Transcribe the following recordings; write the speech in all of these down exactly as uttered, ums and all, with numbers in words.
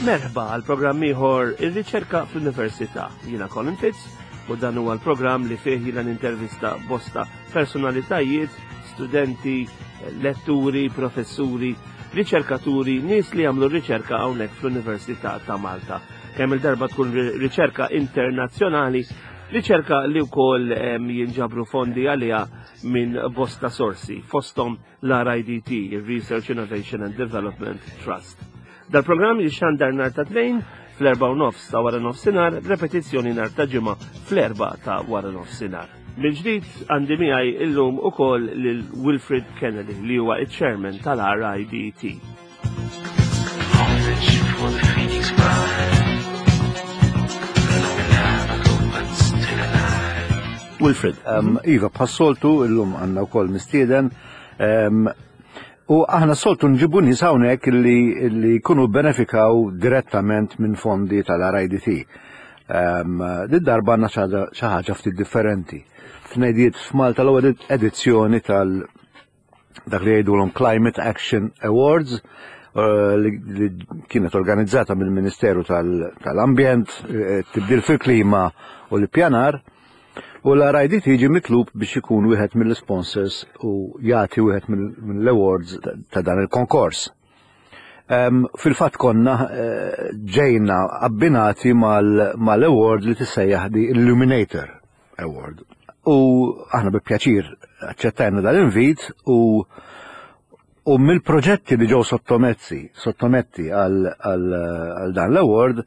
Merħba għal programm ieħor, Ir-Riċerka fl-Università. Jiena Colin Fitz u dan huwa l-programm li fih jiena nintervista bosta personalitajiet, studenti, letturi, professuri, riċerkaturi, nies li jagħmlu riċerka hawnhekk fl-Università ta' Malta. Kemm il-darba tkun riċerka internazzjonali, riċerka li wkoll jinġabru fondi għaliha minn bosta sorsi, fosthom l-R I D T, Research Innovation and Development Trust. Dal-programm jixxandar nhar ta' Tnejn fl-erba' u nofs ta' wara nofsinhar, repetizzjoni nhar ta' Ġimgħa fl-erba' ta' wara nofsinhar. Mill-ġdid għandi miegħi illum ukoll lil Wilfred Kennedy, li huwa iċ-chairman tal-R I D T. Homage for the Phoenix Pride. Still alive. Wilfred. Um, iva, bħas-soltu, illum għandna wkoll mistieden. Um, u aħna soltu nġibu nies hawnhekk li, li jkunu benefikaw direttament minn fondi tal-R I D T. Um, Din darba għandna xi ħaġa ftit differenti. Tnediet f'Malta l-ewwel edizzjoni tal dak li jgħidulhom Climate Action Awards uh, li, li kienet organizzata mill-Ministeru tal-Ambjent, eh, tibdil fil-klima u l-pjanar. U l-R I D T jiġi mitlub biex ikun wieħed mill-sponsors u jagħti wieħed mill-awards ta' dan il-konkors. Um, Fil-fatt konna uh, ġejna abbinati mal-award li tissejjaħ the Illuminator Award. U aħna bi pjaċir aċċettajna dal-invit u u mill-proġetti li ġew sottomessi, sottometti għal, għal, għal dan l-award,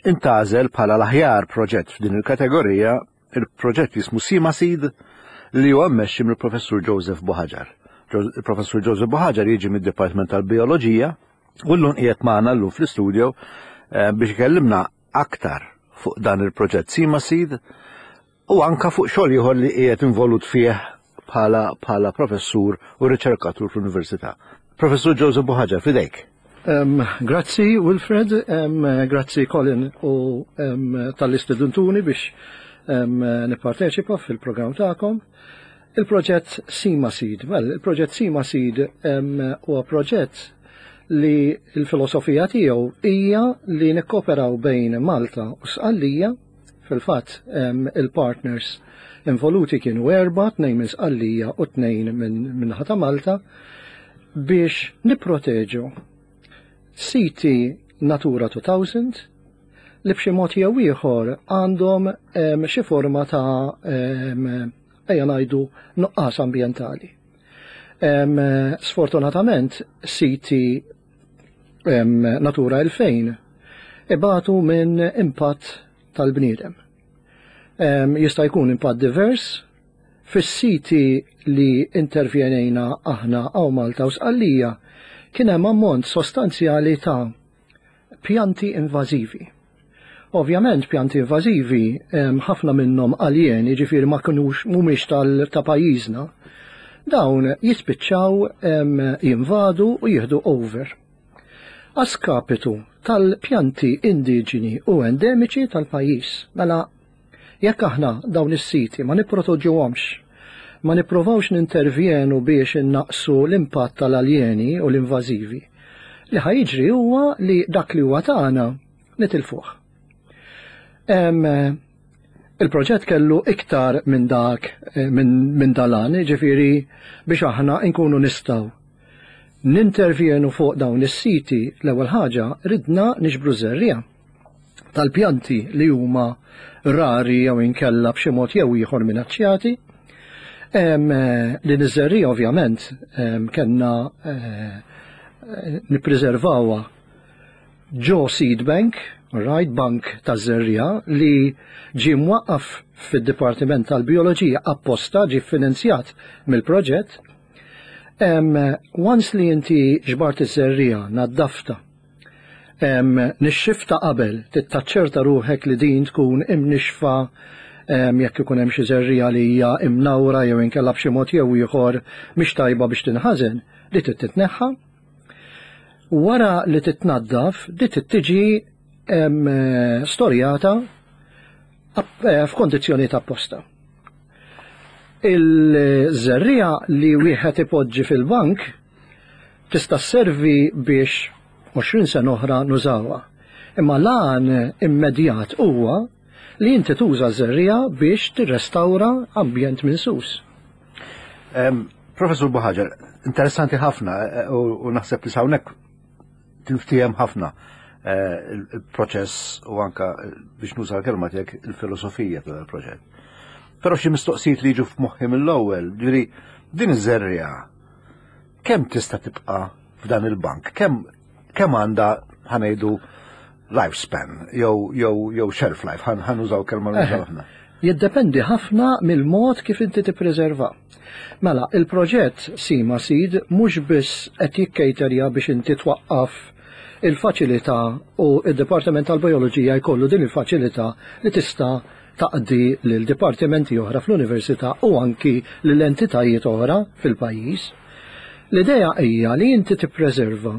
intgħażel bħala l-aħjar proġett f'din il-kategorija il-proġett jismu Sima Seed, li huwa mmexxi mill-Professur Joseph Buhagiar. Il-Professur Joseph Buhagiar jiġi mid-Dipartiment tal-Bioloġija u llum qiegħed magħna llum fl-istudio eh, biex ikellimna aktar fuq dan il-proġett Sima Seed u anka fuq xogħol ieħor li qiegħed involut fih bħala bħala professur u riċerkatur fl-Università. Professur Joseph Buhagiar, fidejk. Um, grazzi Wilfred, um, grazzi Colin u um, talli stedintuni biex um, nipparteċipa fil-programm tagħkom. Il-proġett Sima Seed, well, il-proġett Sima Seed um, huwa proġett li l-filosofija tiegħu hija li nikkoperaw bejn Malta u Sqallija. Fil-fatt um, il-partners involuti kienu erba, tnejn minn Sqallija u tnejn minn minn ta' Malta, biex nipproteġu siti Natura elfejn li b'xi mod jew ieħor għandhom em, xi forma ta' em, ejja ngħidu nuqqas ambjentali. Em, Sfortunatament siti em, Natura elfejn ibatu minn impatt tal-bniedem. Em, Jista' jkun impatt divers. Fis-siti li intervjenejna aħna hawn Malta u Sqallija kien hemm ammont sostanzjali ta' pjanti invażivi. Ovvjament pjanti invażivi, em, ħafna minnhom aljeni, ġifieri ma kinux mhumiex tal ta' pajjiżna, dawn jispiċċaw em, jinvadu u jieħdu over a skapitu tal-pjanti indiġeni u endemiċi tal-pajjiż. Mela, jekk aħna dawn is-siti ma nipproteġuhomx, ma nipprovawx nintervjenu biex innaqsu l-impatt tal-aljeni u l-invażivi, li ħa jiġri huwa li dak li huwa tagħna nitilfuh. Em, Il-proġett kellu iktar minn dak eh, minn min dalan, ġifieri biex aħna nkunu nistgħu nintervjenu fuq dawn is-siti, l-ewwel ħaġa ridna niġbru żerriegħa tal-pjanti li huma rari jew inkella b'xi mod jew ieħor minaċċjati. Em, eh, Din iż-żerriegħa ovvjament em, kellna eh, eh, nippreservawha ġo seed bank, right, bank ta' żerriegħa li ġie mwaqqaf fid-Dipartiment tal-Bioloġija apposta, ġie finanzjat mill-proġett. Em, once li inti ġbart iż-żerriegħa, naddafta, em, nixxifta qabel, tittaċċerta ruħek li din tkun imnixfa, em, jekk ikun hemm xi żerriegħa li hija imnawra jew inkella b'xi mod jew ieħor mhix tajba biex tinħażen, li trid titneħħa. Wara li titnaddaf, di trid tiġi em, storjata app- eh, f'kondizzjoni ta' apposta. Il-żerriegħa li wieħed ipoġġi fil-bank tista' sservi biex għoxrin sena oħra nużawha. Imma l-għan immedjat huwa li inti tuża żerriegħa biex tirrestawra ambjent minsus. Professur Buhagiar, interessanti ħafna eh, u naħseb li hawnhekk tinftiehem ħafna eh, il-proċess u anka eh, biex nuża l-kelma tiegħek, il-filosofija tal-proġett. Però xi mistoqsijiet li jiġu f'moħħi mill-ewwel, ġifieri din iż-żerriegħa kemm tista' tibqa' f'dan il-bank? Kemm kemm għandha, ħa ngħidu, lifespan jew jew jew shelf life, ħa nużaw kelma nużaw aħna? Jiddependi ħafna mill-mod kif inti tippreserva. Mela, il-proġett Sima Seed mhux biss qed jikkejterja biex inti twaqqaf il-faċilità u id-Dipartiment tal-Bioloġija jkollu din il-faċilità li tista' taqdi lil dipartimenti oħra fl-università u anki lil entitajiet oħra fil-pajjiż. L-idea hija li inti tippreserva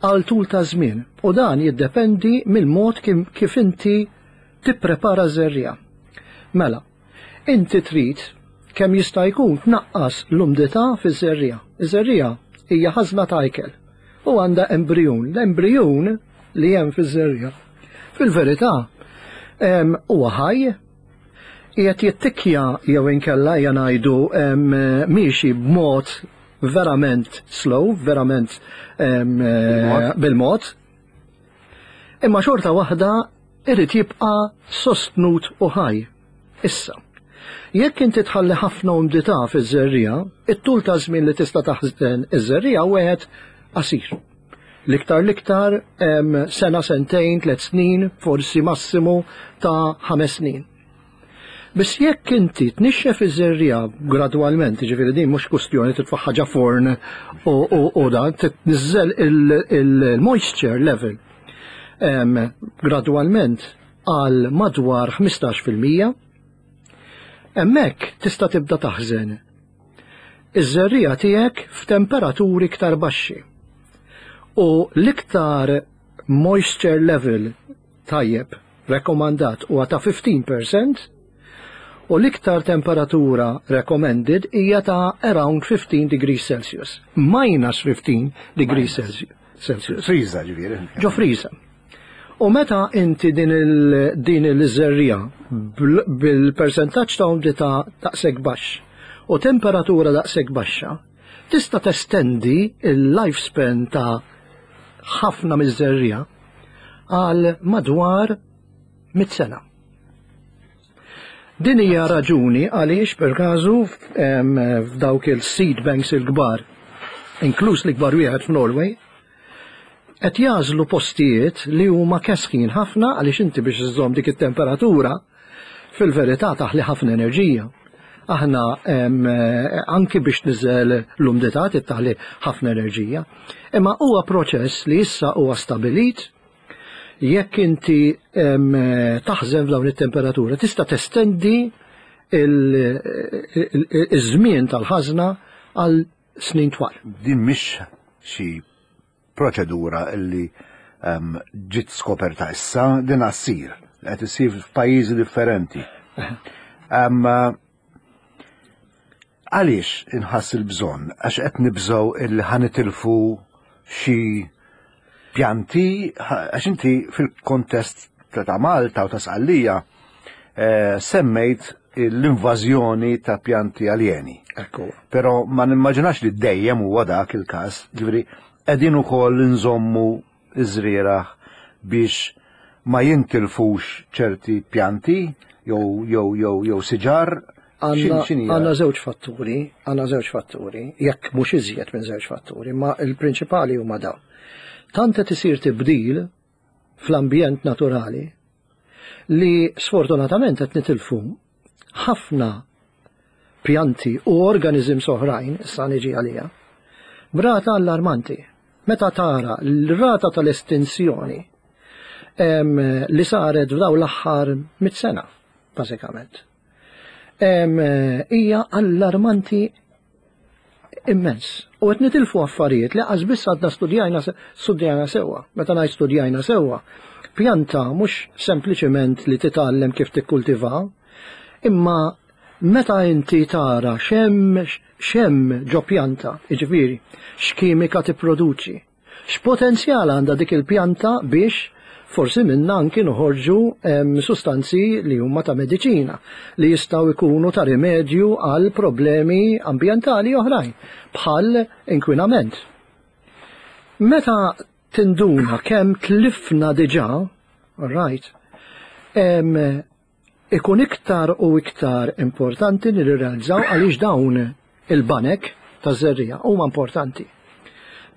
għal tul ta' żmien u dan jiddependi mill-mod kif inti tipprepara żerriegħa. Mela, inti trid kemm jista' jkun tnaqqas l-umdità fiż-żerriegħa. Iż-żerriegħa hija ħażna ta' ikel u għandha embrijun. L-embrijun li hemm fiż-żerriegħa fil-verità huwa ħaj, qiegħed jittikja jew inkella hija ngħidu miexi b'mod verament slow, verament bil-mod. Imma xorta waħda irid jibqa' sostnut u ħaj. Issa, jekk inti tħalli ħafna umdità fiż-żerriegħa, it-tul ta' żmien li tista' taħżen iż-żerriegħa wieħed qasir. L-iktar l-iktar sena, sentejn, tliet snin, forsi massimu ta' ħames snin. Biss jekk inti tnixxef iż-żerriegħa gradwalment, ġifieri din mhux kwistjoni titfa' ħaġa forn u dan tniżżel il-moisture level gradwalment għal madwar ħmistax fil-mija, hemmhekk tista' tibda taħżen iż-żerriegħa tiegħek f'temperaturi iktar baxxi. U l-iktar moisture level tajjeb rekomandat huwa ta' ħmistax fil-mija u l-iktar temperatura recommended hija ta' around fifteen degrees Celsius. Minus fifteen degrees Celsius. Celsius. Friża, ġifieri. Ġo friża. U meta inti din il din il-żerriegħa bil-percentaġġ ta' umdità daqshekk baxx u temperatura daqshekk baxxa, tista' testendi il-lifespan ta' ħafna miż-żerriegħa għal madwar mit sena. Din hija raġuni għaliex per każu f'dawk il-seed banks il-kbar, inkluż l-ikbar wieħed f'Norway, qed jagħżlu postijiet li huma kesħin ħafna, għaliex inti biex iżżomm dik it-temperatura fil-verità taħli ħafna enerġija. Aħna anki biex niżel l-umdità taħli ħafna enerġija. Imma huwa proċess li issa huwa stabilit. Jekk inti taħżen f'dawn it-temperatura tista' testendi iż-żmien tal-ħażna għal snin twal. Din mhix xi proċedura illi ġiet skoperta issa, din issir, qed issir f'pajjiżi differenti. Għaliex inħass il-bżonn? Għax qed nibżgħu illi ħa nitilfu xi pjanti, għax inti fil-kontest ta' Malta u ta' Sqallija eh, semmejt l-invażjoni ta' pjanti aljeni. Ekku. Però ma nimmaġinax li dejjem huwa dak il-każ, ġifieri qegħdin ukoll nżommu iż-żrieragħ biex ma jintilfux ċerti pjanti jew jew jew jew siġar. Għandna żewġ fatturi, għandna żewġ fatturi, jekk mhux iżjed minn żewġ fatturi, ma il-prinċipali huma dawn. Tant qed isir tibdil fl-ambjent naturali li sfortunatament qed nitilfu ħafna pjanti u organisms oħrajn, issa niġi għalija, b'rata allarmanti. Meta tara l-rata tal-estinzjoni li saret f'daw l-aħħar mit sena, bażikament, hija allarmanti immens. U qed nitilfu affarijiet li qas biss għadna studjajna studjajna sewwa. Meta ngħid studjajna sewwa, pjanta mhux sempliċement li titgħallem kif tikkultiva, imma meta inti tara x'hemm x'hemm ġo pjanta, jiġifieri x'kimika tipproduċi, x'potenzjal għandha dik il-pjanta biex Forsi minna anki noħorġu sustanzi li huma ta' mediċina li jistgħu jkunu ta' rimedju għal problemi ambjentali oħrajn bħal inkwinament. Meta tinduna kemm tlifna diġà, right, em, ikun iktar u iktar importanti li nirrealizzaw għaliex dawn il-banek ta' żerriegħa huma importanti.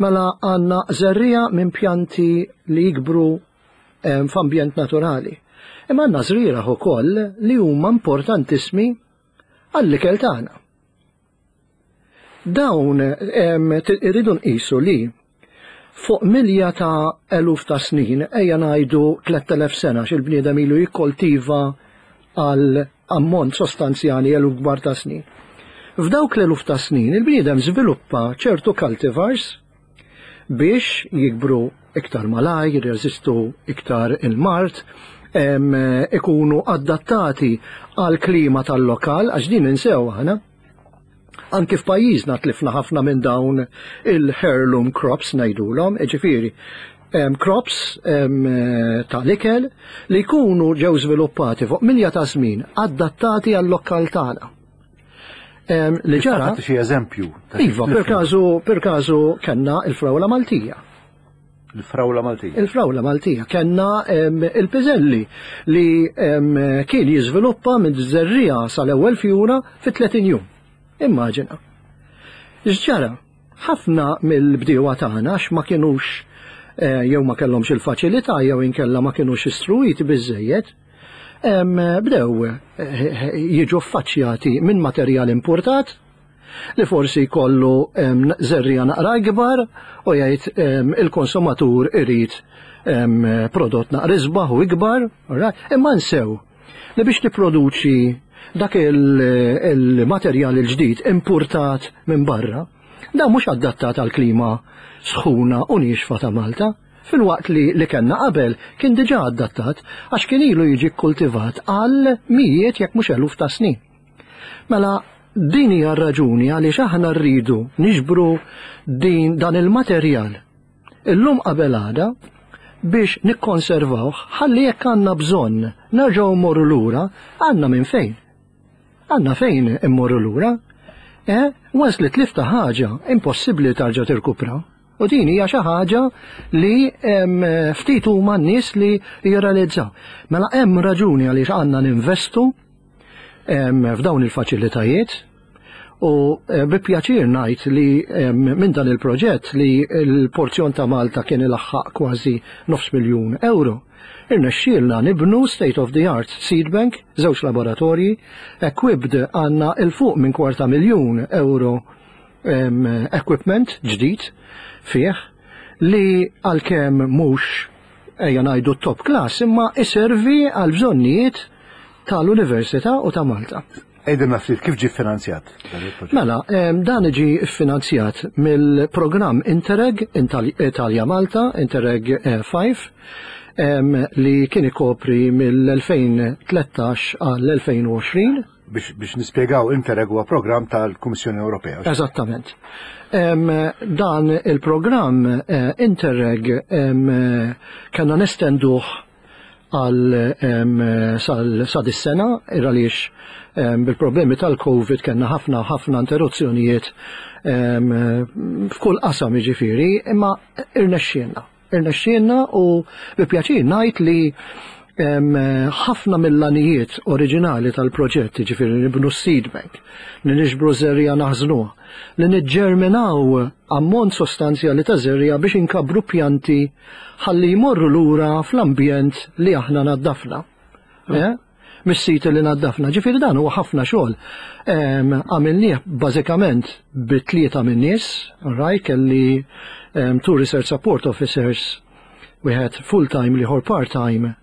Mela għandna żerriegħa minn pjanti li jikbru f'ambjent naturali. Imma għandna żrieragħ ukoll li huma importantissimi għall-ikel tagħna. Dawn irridu nqisu li fuq milja ta' eluf ta' snin, ejja ngħidu tlett elef sena, x'il-bniedem ilu jikkoltiva għal ammont sostanzjali, eluf kbar ta' snin. F'dawk l-eluf ta' snin il-bniedem żviluppa ċertu cultivars biex jikbru iktar malaj, jirreżistu iktar il-mard, ikunu adattati għal klima tal-lokal, għax din insew aħna. Anki f'pajjiżna tlifna ħafna minn dawn il-heirloom crops ngħidulhom, ġifieri crops tal-ikel li jkunu ġew żviluppati fuq milja ta' żmien, adattati għal-lokal tagħna. Li ġara. Xi eżempju? Iva, per każu per każu kellna il-frawla Maltija. Il-frawla Maltija. Il-frawla Maltija. Kellna il-piżelli li kien jiżviluppa minn żerriegħa sal-ewwel fjura fi tletin jum. Immaġina. X'ġara? Ħafna mill-bdiewa tagħna, għax ma kienux eh, jew ma kellhomx il-faċilità jew inkella ma kienux istruiti biżejjed, bdew eh, jiġu affaċċjati minn materjal importat li forsi jkollu żerriegħa naqra ikbar u jgħid il-konsumatur irid prodott naqra isbaħ u ikbar, imma nsew li biex tipproduċi dak il-materjal il-ġdid importat minn barra, da mhux adattat għal klima sħuna u niexfa ta' Malta, filwaqt li li kellna qabel kien diġà adattat għax kien ilu jiġi kultivat għal mijiet jekk mhux eluf ta' snin. Mela din hija raġuni għaliex aħna rridu niġbru din dan il-materjal illum qabel għada biex nikkonservawh, ħalli jekk għandna bżonn nerġgħu mmorru lura, għandna minn fejn. Għandna fejn immorru lura. Eh, once li tlifta ħaġa, impossibbli tarġa' tirkupra. U din hija xi ħaġa li ftit huma n-nies li jirrealizzaw. Mela hemm raġuni għaliex għandna ninvestu f'dawn il-faċilitajiet u eh, bi pjaċir ngħid li minn dan il-proġett, li l-porzjon ta' Malta kien ilaħħaq kważi nofs miljun euro, irnexxielna nibnu state of the art seed bank, żewġ laboratorji, equipped, għandna 'il fuq minn kwarta miljun euro equipment ġdid fih li għalkemm mhux, ejja ngħidu, top class, imma iservi għal bżonnijiet tal-Università u ta' Malta. Għidilna ftit kif ġi finanzjat? Mela, dan ġi finanzjat mill-programm Interreg Italia Malta, Interreg ħamsa, li kien ikopri mill-elfejn u tlettax għall-elfejn u għoxrin. Biex, biex nispjegaw, Interreg huwa programm tal-Kummissjoni Ewropea. Eżattament. Dan il-programm eh, Interreg kellna nestenduh għal sa dis-sena għaliex bil-problemi tal-Covid kellna ħafna ħafna interruzzjonijiet f'kull qasam jiġifieri, imma irnexxielna. Irnexxielna u bi pjaċir ngħid li ħafna mill-għanijiet oriġinali tal-proġett, ġifieri nibnu seed bank, li niġbru żerriegħa naħżnuha, li niġġerminaw ammont sostanzjali ta' żerriegħa biex inkabru pjanti ħalli jmorru lura fl-ambjent li aħna naddafna. Eh? Mis-sit li naddafna. Ġifieri dan huwa ħafna xogħol. Għamilnieh bażikament bi tlieta minn nies, right, kelli two research support officers, wieħed full-time, l-ieħor part-time,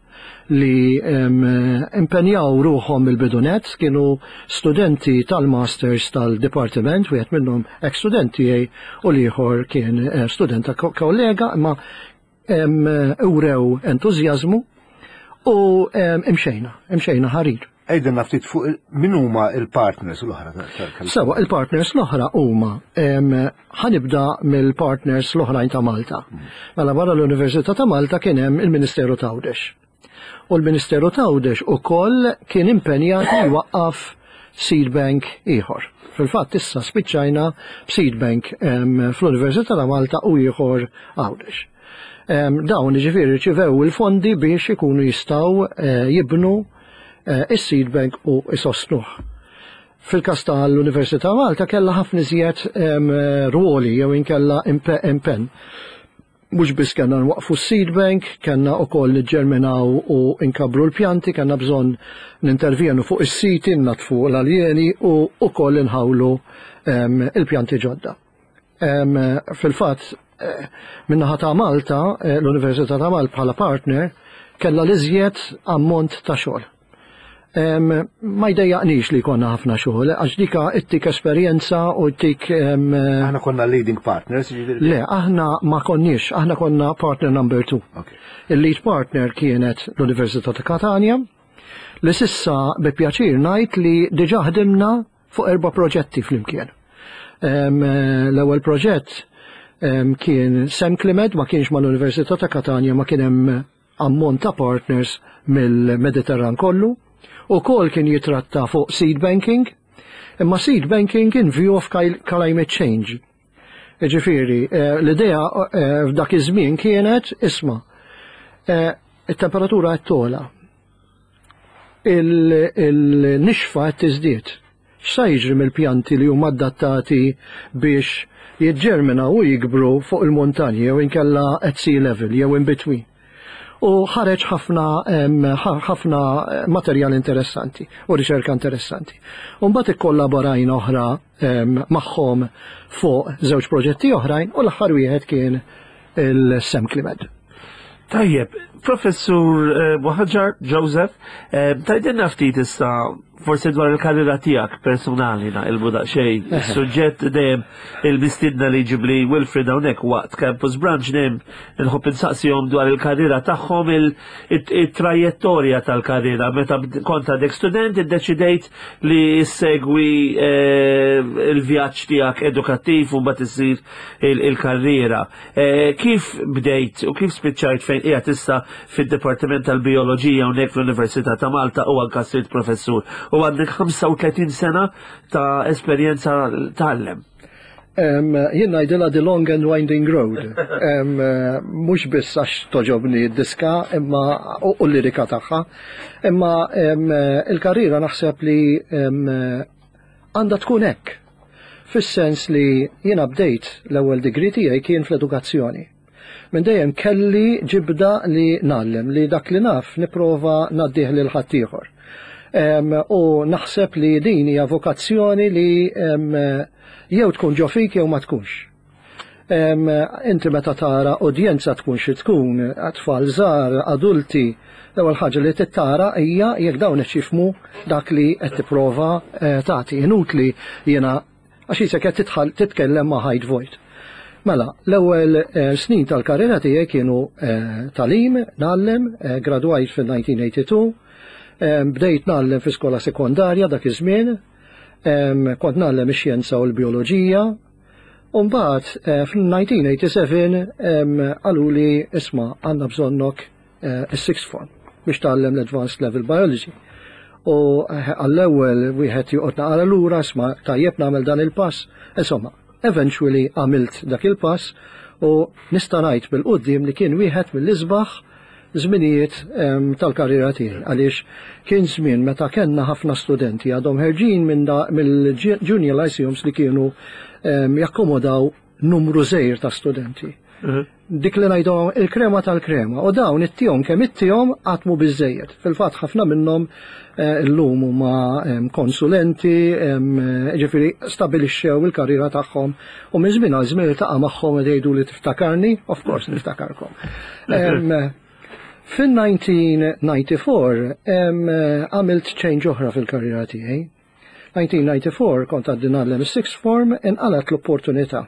li impenjaw ruħhom il-bidu nett, kienu studenti tal-masters tal-departiment, wieħed minnhom ex-studenti u l-ieħor kien eh, student ta' kollega, imma urew entużjażmu u imxejna, imxejna ħarir. Għidilna ftit fuq il- min huma il-partners l-oħra tal- Sewa, il-partners l-oħra huma em, ħa nibda mill-partners l-oħrajn ta' Malta. Mela barra l-Università ta' Malta kien hemm il-Ministeru t'Għawdex. U l-Ministeru t'Għawdex ukoll kien impenjat li jwaqqaf seed bank ieħor. Fil-fatt issa spiċċajna b'seed bank em, fl-Università ta' Malta u ieħor Għawdex. Em, Dawn ġifieri rċivew il-fondi biex ikunu jistgħu eh, jibnu eh, is-seed bank u isostnuh. Fil-kas tal-Università Malta kella ħafna iżjed em, ruoli jew inkella impe- impenn. Mhux biss kellna nwaqfu s-seed bank, kellna wkoll niġġerminaw u nkabru l-pjanti, kellna bżonn nintervjenu fuq is-siti, natfu l-aljeni u wkoll inħawlu em, il-pjanti ġodda. Em, Fil-fatt, eh, min-naħa ta' Malta, eh, l-Università ta' Malta bħala partner, kella l-iżjed ammont ta' xogħol. Em, ma jdejjaqnix li konna ħafna xogħol, għax dika ittik esperjenza u ttik em, Aħna konna leading partners, ġifieri. Le, aħna ma konniex, aħna konna partner number two. Ok. Il-lead partner kienet l-Università ta' Catania, li s'issa bi pjaċir ngħid li diġà ħdimna fuq erba' proġetti flimkien. Em, L-ewwel proġett em, kien SEMCLIMED, ma kienx mal-Università ta' Catania, ma kien hemm ammont ta' partners mill-Mediterran kollu. Ukoll kien jitratta fuq seed banking, imma seed banking in view of climate change. Ġifieri, eh, l-idea eh, f'dak iż-żmien kienet isma' eh, it-temperatura qed togħla. Il-nixfa qed tiżdied. X'sa jiġri mill-pjanti li huma adattati biex jiġġerminaw u jikbru fuq il-montanji jew inkella at sea level jew in between. U ħareġ ħafna ħafna materjal interessanti u riċerka interessanti. U mbagħad ikkollaborajna oħra magħhom fuq żewġ proġetti oħrajn u l-aħħar wieħed kien il-SEMCLIMED. Tajjeb, Professur eh, Buhagiar Joseph, eh, tgħidilna ftit issa forsi dwar il-karriera tiegħek personali naqilbu daqsxejn. Is-suġġett dejjem il-mistiedna li jġibli Wilfred hawnhekk waqt Campus Brunch dejjem nħobb insaqsihom dwar il-karriera tagħhom il-trajettorja tal-karriera. Meta kont għadek student iddeċidejt li ssegwi eh, il-vjaġġ tiegħek edukattiv u mbagħad issir il-karriera. Eh, kif bdejt u kif spiċċajt fejn qiegħed issa fid-Dipartiment tal-Bioloġija hawnhekk fl-Università ta' Malta u anka sirt professur u għandek ħamsa u tletin sena ta' esperjenza tgħallem. Jien ngħidilha the long and winding road. Mhux biss għax togħġobni d-diska imma u l-lirika tagħha, imma il-karriera naħseb li għandha tkun hekk. Fis-sens li jiena bdejt l-ewwel degree tiegħi kien fl-edukazzjoni. Minn dejjem kelli ġibda li ngħallem, li dak li naf nipprova ngħaddih lil ħaddieħor. U naħseb li din hija vokazzjoni li jew tkun ġo fik jew ma tkunx. Inti meta tara udjenza tkun xi tkun, tfal żgħar, adulti, l-ewwel ħaġa li tittara hija jekk dawn qed jifhmu dak li qed tipprova eh, tagħti. Inutli jiena għax jisek qed tidħal titkellem ma' ħajt vojt. Mela, l-ewwel eh, snin tal-karriera tiegħi kienu eh, tagħlim, ngħallem, eh, gradwajt fil-elf disa' mija tnejn u disgħin, eh, bdejt ngħallem fi skola sekondarja dak iż-żmien, em, kont ngħallem ix-xjenza u l-bioloġija, u mbagħad eh, fil-elf disa' mija seba' u tmenin em, qaluli, "Isma', għandna bżonnok eh, is-sixth form biex tgħallem l-Advanced Level Biology." U eh, għall-ewwel wieħed joqgħod naqra lura, isma', tajjeb nagħmel dan il-pass. Insomma, eventually għamilt dak il-pass u nista' ngħid bil-quddiem li kien wieħed mill-isbaħ żminijiet em, tal-karriera tiegħi għaliex kien żmien meta kellna ħafna studenti għadhom ħerġin minn da- mill-junior lyceums li kienu em, jakkomodaw numru żgħir ta' studenti. Dik li ngħidu il-krema tal-krema u dawn ittihom kemm ittihom qatt mhu biżejjed. Fil-fatt ħafna minnhom eh, illum huma em, konsulenti, em, ġifieri stabilixxew il-karriera tagħhom u minn żmien għal żmien iltaqa' magħhom u jgħidu li, "Tiftakarni?" Of course niftakarkom. Em, Fil-elf disa' mija disgħa u erbgħin em, għamilt change oħra fil-karriera tiegħi. elf disa' mija erbgħa u disgħin kont għadni ngħallem is-sixth form, inqalat l-opportunità.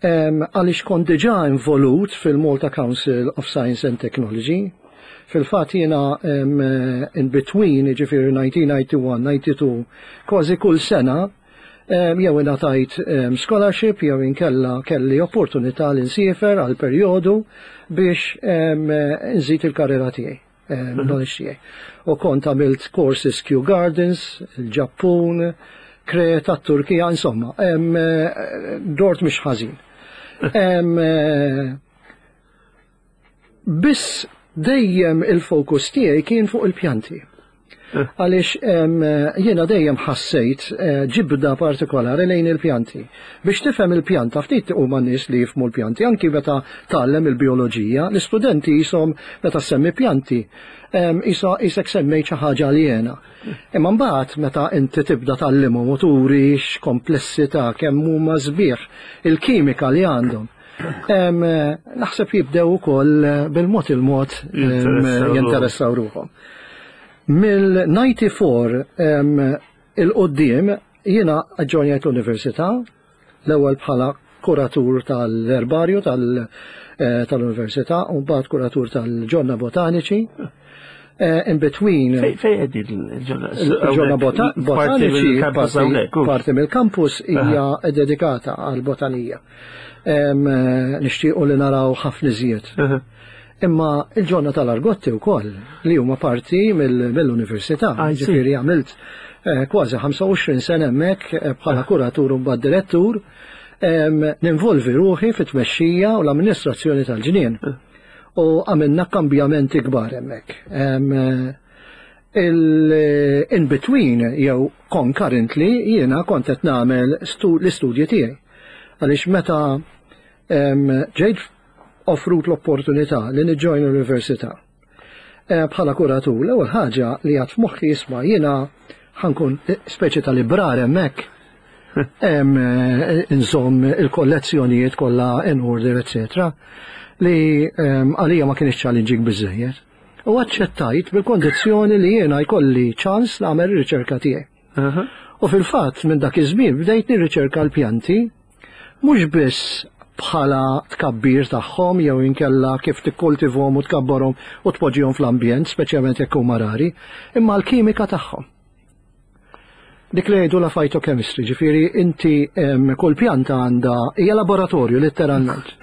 Em, Għaliex kont diġà involut fil-Malta Council of Science and Technology, Fil-fatt jiena in between, ġifieri elf disa' mija u disgħa u disgħin, disgħa u disgħin, kważi kull sena jew ingħatajt scholarship jew inkella kelli opportunità li nsiefer għal perjodu biex nżid il-karriera tiegħi, knowledge tiegħi. U kont għamilt courses Kew Gardens, il-Ġappun, Kreta, Turkija, insomma, dort mhux ħażin. Biss dejjem il-fokus tiegħi kien fuq il-pjanti. Għaliex jiena dejjem ħassejt eh, ġibda partikolari lejn il-pjanti. Biex tifhem il-pjanta, ftit huma nies li jifhmu l-pjanti, anki meta tgħallem il-bioloġija, l-istudenti jisom meta semmi pjanti, jisek semmejt xi ħaġa aljena. Imma mbagħad meta inti tibda tgħallimhom u turi x'komplessità, kemm huma sbieħ, il-kimika li għandhom, naħseb jibdew ukoll bil-mod il-mod jinteressaw ruħhom. Mill-disgħa u disgħin il-qoddim jiena ġġojnjajt l-università, l-ewwel bħala kuratur tal-erbarju eh, tal-università u mbagħad kuratur tal-ġonna botaniċi. Eh, in between. Fejn qegħdin il-ġonna? Il-ġonna botaniċi, parti mill-campus hija dedikata għal-botanija. Nixtiequ li naraw ħafna iżjed. Imma il-ġonna tal-Argotti wkoll li huma parti mill-università. Ġifieri għamilt eh, kważi ħamsa u għoxrin sena hemmhekk eh, bħala kuratur u mbagħad direttur, ninvolvi ruħi fit-tmexxija u l-amministrazzjoni tal-ġnien. U għamilna kambjamenti kbar hemmhekk. In between jew concurrently jiena kont qed nagħmel l-istudji tiegħi. Għaliex meta ġejt offrut l-opportunità li niġġojn l-università eh, bħala kuratur, l-ewwel ħaġa li għad f'moħħi, jisma' jiena ħa nkun speċi ta' librar hemmhekk, nżomm il-kollezzjonijiet kollha in order, eccetera, li għalija ma kienx challenging biżejjed. U aċċettajt bil-kondizzjoni li jiena jkolli ċans nagħmel ir-riċerka tiegħi. U fil-fatt minn dak iż-żmien bdejt nirriċerka l-pjanti mhux biss bħala tkabbir tagħhom jew inkella kif tikkultivhom u tkabbarhom u tpoġġihom fl-ambjent, speċjalment jekk huma rari, imma l-kimika tagħhom. Dik li jgħidu la phytochemistry, ġifieri inti kull pjanta għandha hija laboratorju letteralment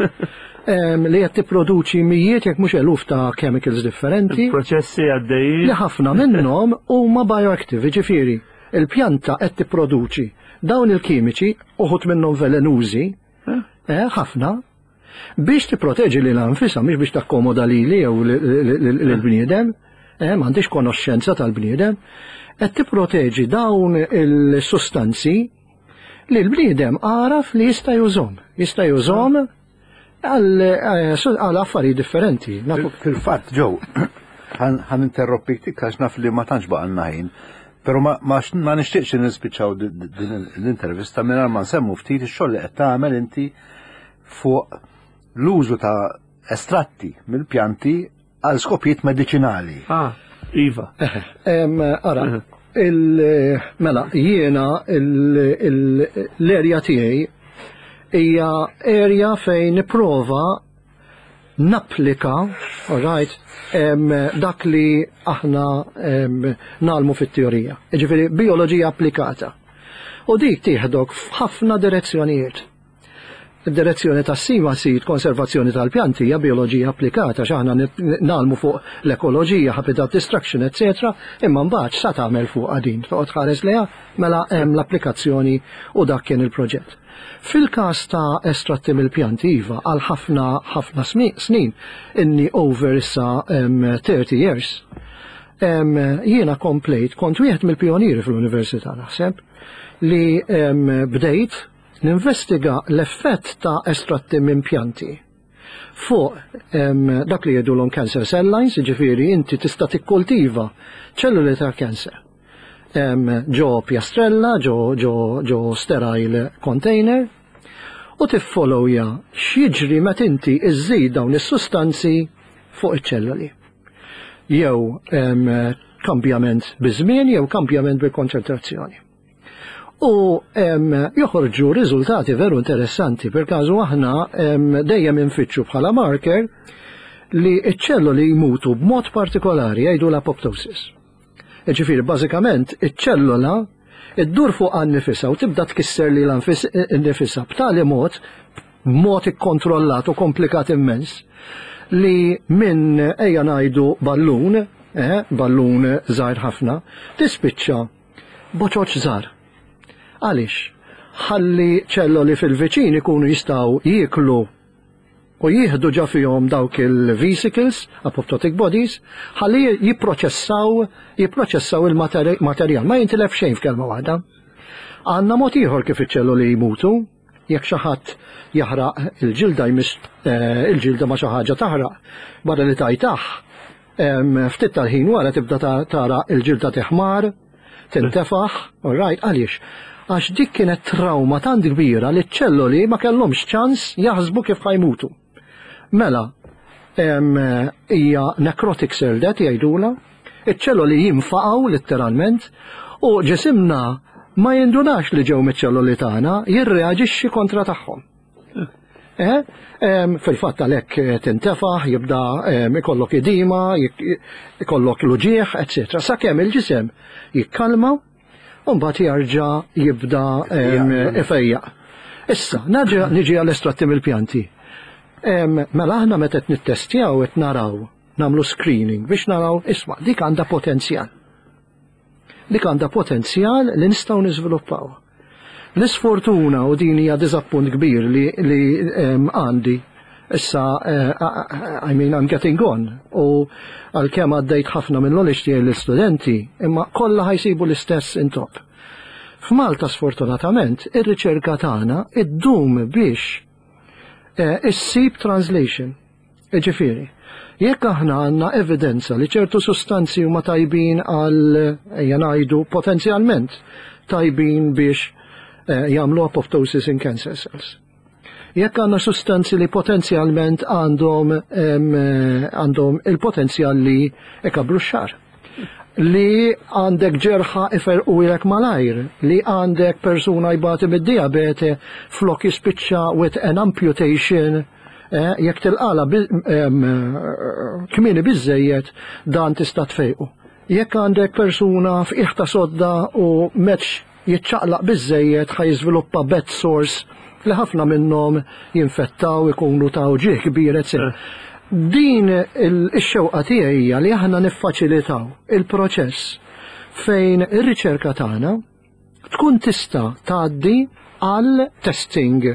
li qed tipproduċi mijiet jekk mhux eluf ta' chemicals differenti. Proċessi għaddejjin. Li ħafna minnhom huma bioactive, ġifieri il-pjanta qed tipproduċi dawn il-kimiċi, uħud minnhom velenużi, eh, ħafna, biex tipproteġi lil nfisha, mhix biex takkomoda lili jew lill-bniedem, eh, m'għandix konoxxenza tal-bniedem, qed tipproteġi dawn il-sustanzi li l-bniedem għaraf li jista' jużhom. Jista' jużhom għal affarijiet differenti. Fil-fatt, ġew, ħa ninterrompik għax naf li ma tantx baqgħalna ħin. Pero ma, ma, ma nixtieqx nispiċċaw din l-intervista mingħajr ma nsemmu ftit ix-xogħol li qed tagħmel inti fuq l-użu ta' estratti mill-pjanti għal skopijiet medicinali. Ah, iva. Ara, mela, jiena l-erja tiegħi hija area fejn nipprova napplika, all right, dak li aħna ngħallmu fit-teorija. Ġifieri bioloġija applikata. U dik tieħdok f'ħafna direzzjonijiet. Id-direzzjoni ta' sima sit konservazzjoni tal-pjanti hija bioloġija applikata, x'aħna ngħallmu fuq l-ekoloġija, habitat destruction, eccetera. Imma mbagħad sa tagħmel fuq din, toqgħod ħares leha, mela hemm l-applikazzjoni u dak kien il-proġett. Fil-każ ta' estratti mill-pjanti, iva, għal ħafna ħafna snin, inni over issa thirty years, jiena komplejt, kont wieħed mill-pionieri fl-università naħseb, li bdejt ninvestiga l-effett ta' estratti minn pjanti fuq dak li jgħidulhom cancer cell lines, ġifieri inti tista' tikkultiva ċelluli ta' cancer ġo pjastrella, ġo, ġo, ġo sterile container, u tiffollowja x'jiġri meta inti iżżid dawn is-sustanzi fuq iċ-ċelluli. Jew kambjament biż-żmien jew kambjament bil-konċentrazzjoni. U joħorġu riżultati veru interessanti, per każu aħna dejjem infittxu bħala marker li iċ-ċelloli jmutu b'mod partikolari jgħidu l-apoptosis. Ġifieri, bażikament, iċ-ċellola iddur fuq nifisha u tibda tkisser lilha nnifisha b'tali mod, b'mod ikkontrollat u komplikat immens, li minn ejja ngħidu ballun, eh, ballun żgħir ħafna, tispiċċa boċoċ żgħar. Għaliex? Ħalli ċelloli fil-viċin ikunu jistgħu jieklu u jieħdu ġa fihom dawk il-vesicles, apoptotic bodies, ħalli jipproċessaw jipproċessaw il-materjal. Ma jintilef xejn f'kelma waħda. Għandna mod ieħor kif iċ-ċelloli jmutu, jekk xi ħadd jaħraq il-ġilda jmiss eh, il-ġilda ma xi ħaġa taħraq, barra li tajtaħ, ftit tal-ħin wara tibda tara il-ġilda teħmar, tintefaħ, all right, għaliex? Għax dik kienet trauma tant kbira li ċ-ċelloli ma kellhomx ċans jaħsbu kif ħa jmutu. Mela, hija necrotic cell death jgħidula, iċ-ċelloli jinfaqgħu letteralment u ġisimna ma jindunax li ġew miċ-ċelloli tagħna, jirreaġixxi kontra tagħhom. Eh? Fil-fatt għalhekk tintefaħ, jibda ikollok edema, ikollok l-uġieħ, eċetera. Sakemm il-ġisem jikkalma u mbagħad jarġa' jibda ifejjaq. Issa, niġi għall-estratti mill-pjanti. Mela aħna meta qed nittestjaw qed naraw, nagħmlu screening biex naraw isma' dik għandha potenzjal. Dik għandha potenzjal li nistgħu niżviluppaw. L-isfortuna u din hija diżappunt kbir li, li għandi issa uh, I mean I'm getting on u għalkemm għaddejt ħafna minn knowledge tiegħi l-istudenti imma kollha ħa jsibu l-istess intop. F'Malta sfortunatament ir-riċerka tagħna iddum biex eh, issib translation. Ġifieri, jekk aħna għandna evidenza li ċertu sustanzi huma tajbin għal ejja ngħidu potenzjalment tajbin biex eh, jagħmlu apoptosis in cancer cells. Jekk għandna sustanzi li potenzjalment għandhom għandhom il-potenzjal li ikabru x-xagħar. Li għandek ġerħa iferqulek malajr, li għandek persuna jbati mid-diabete flok jispiċċa with an amputation, eh, jekk tilqala kmieni biżejjed dan tista' tfejqu. Jekk għandek persuna f'qiegħ ta' sodda u m'għadx jiċċaqlaq biżejjed ħa jiżviluppa bed sores li ħafna minnhom jinfettaw ikunu ta' uġigħ kbir, etc. Din il-xewqa tiegħi hija li aħna niffaċilitaw il-proċess fejn ir-riċerka tagħna tkun tista' tgħaddi għal testing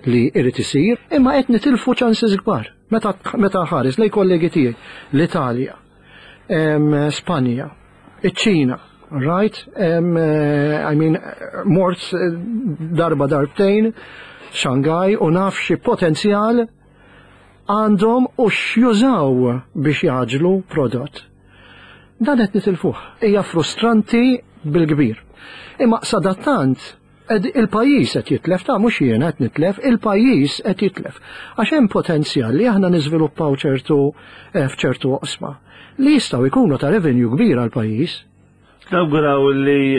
li irid isir, imma qed nitilfu chances kbar. Meta meta ħares lej kollegi tiegħi l-Italja, Spanja, iċ-Ċina, right? Um, I mean, mort darba darbtejn, Shanghai, u naf xi potenzjal għandhom u x'jużaw biex jagħġlu prodott. Dan qed nitilfuh. Hija frustranti bil-kbir. Imma sadattant il-pajjiż qed jitlef, ta' mhux jiena qed nitlef, il-pajjiż qed jitlef. Għax hemm potenzjal li aħna niżviluppaw ċertu eh, f'ċertu oqsma li jistgħu jkunu ta' revenue kbir għal pajjiż. Nawguraw li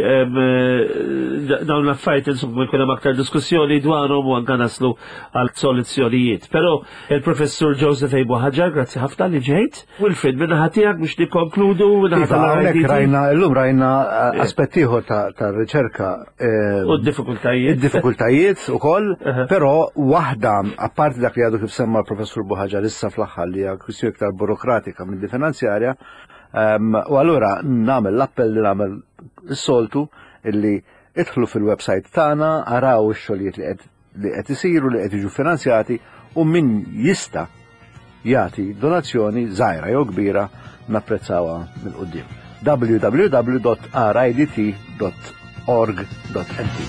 dawn l-affarijiet insomma jkun hemm aktar diskussjoni dwarhom u anke naslu għal soluzzjonijiet. Però il-Professur Joseph A. Buhagiar, grazzi ħafna li ġejt. Wilfred, minn naħa tiegħek biex nikkonkludu minna Iva, hawnhekk rajna illum rajna eh, aspett ieħor ta' riċerka. Eh, u d-diffikultajiet. Id-diffikultajiet ukoll, però waħda apparti dak li għadu kif semma l-Professur Buhagiar issa fl-aħħar li hija kwistjoni iktar burokratika minn finanzjarja. U allura nagħmel l-appell li nagħmel is-soltu illi idħlu fil-website tagħna, araw ix-xogħlijiet li qed li qed isiru li qed jiġu finanzjati u min jista' jagħti donazzjoni żgħira jew kbira napprezzawha mill-quddiem. w w w punt r i d t punt org punt m t.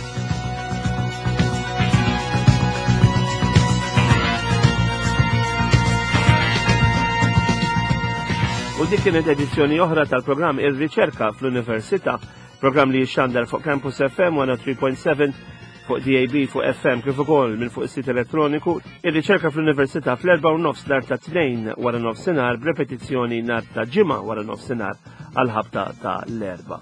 U dik kienet edizzjoni oħra tal-programm Ir-Riċerka fl-Università, programm li jixxandar fuq Campus F M mija u tlieta punt seba' fuq D A B, fuq F M kif ukoll minn fuq is-sit elettroniku. Ir-Riċerka fl-Università fl-erba' u nofs nhar ta' Tnejn wara nofsinhar b'repetizzjoni nhar ta' Ġimgħa wara nofsinhar għal ħabta ta' l-erba'.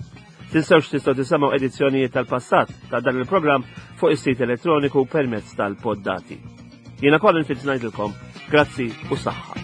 Tinsewx tistgħu tisimgħu edizzjonijiet tal-passat ta' dan il-programm fuq is-sit elettroniku permezz tal-poddati. Jiena Colin Fitz ngħidilkom grazzi u saħħa.